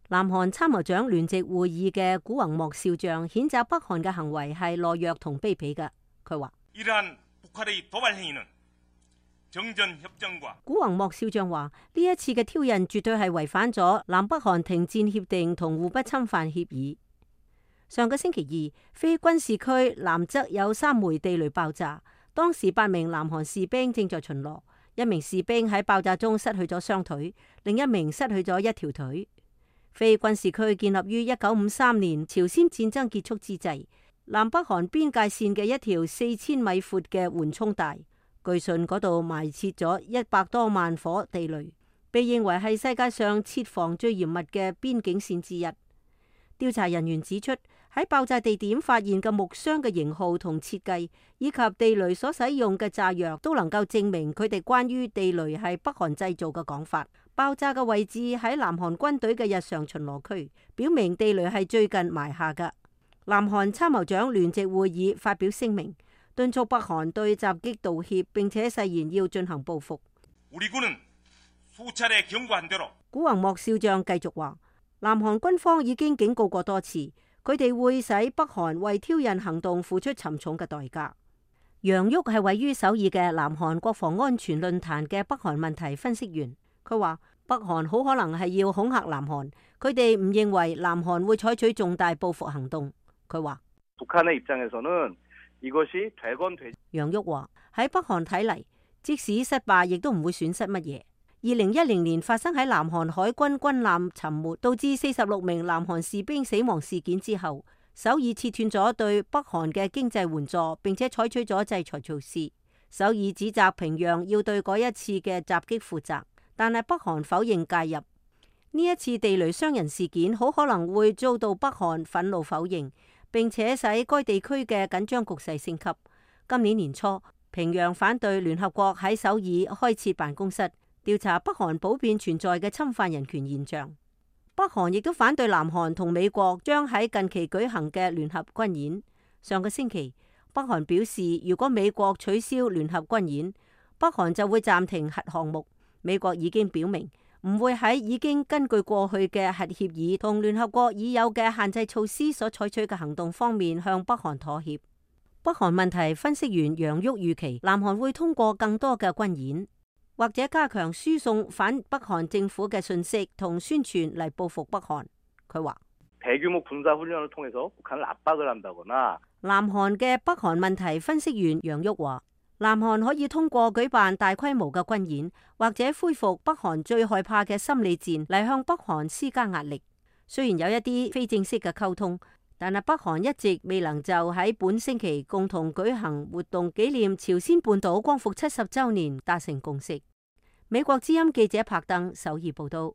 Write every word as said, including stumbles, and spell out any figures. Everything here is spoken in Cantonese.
南韓參謀長聯席會議嘅古宏莫少將譴責北韓嘅行為係懦弱同卑鄙嘅。佢話：古宏莫少將話呢一次嘅挑釁絕對係違反咗南北韓停戰協定同互不侵犯協議。上個星期二，非軍事區南側有三枚地雷爆炸，當時八名南韓士兵正在巡邏，一名士兵喺爆炸中失去咗雙腿，另一名失去咗一條腿。非軍事區建立於一九五三年朝鮮戰爭結束之際，南北韓邊界線嘅一條四千米闊嘅緩衝帶，據信嗰度埋設咗一百多萬顆地雷，被認為係世界上設防最嚴密嘅邊境線之一。調查人員指出，喺爆炸地點發現嘅木箱嘅型號同設計，以及地雷所使用嘅炸藥，都能夠證明佢哋關於地雷係北韓製造嘅講法。爆炸嘅位置喺南韓軍隊嘅日常巡邏區，表明地雷係最近埋下嘅。南韓參謀長聯席會議發表聲明，敦促北韓對襲擊道歉，並且誓言要進行報復。古宏莫少將繼續話，南韓軍方已經警告過多次，佢哋會使北韓為挑釁行動付出沉重嘅代價。楊旭係位於首爾嘅南韓國防安全論壇嘅北韓問題分析員，佢話北韓好可能係要恐嚇南韓，佢哋唔認為南韓會採取重大報復行動。佢話楊旭話喺北韓睇嚟，即使失敗亦都唔會損失乜嘢。二零一零年發生喺南韓海軍軍艦沉沒，導致四十六名南韓士兵死亡事件之後，首爾切斷咗對北韓嘅經濟援助，並且採取咗制裁措施。首爾指責平壤要對嗰一次嘅襲擊負責，但係北韓否認介入。呢一次地雷傷人事件好可能會遭到北韓憤怒否認，並且使該地區嘅緊張局勢升級。今年年初，平壤反對聯合國喺首爾開設辦公室，調查北韓普遍存在嘅侵犯人權現象。北韓亦都反對南韓同美國將喺近期舉行嘅聯合軍演。上個星期，北韓表示，如果美國取消聯合軍演，北韓就會暫停核項目。美國已經表明唔會喺已經根據過去嘅核協議同聯合國已有嘅限制措施所採取嘅行動方面向北韓妥協。北韓問題分析員楊旭預期，南韓會通過更多嘅軍演，或者加強輸送反北韓政府嘅信息同宣傳嚟報復北韓。佢話：南韓嘅北韓問題分析員楊旭話，南韓可以通過舉辦大規模嘅軍演，或者恢復北韓最害怕嘅心理戰嚟向北韓施加壓力。雖然有一啲非正式嘅溝通，但係北韓一直未能就喺本星期共同舉行活動紀念朝鮮半島光復七十週年達成共識。美國之音記者柏登首爾報道。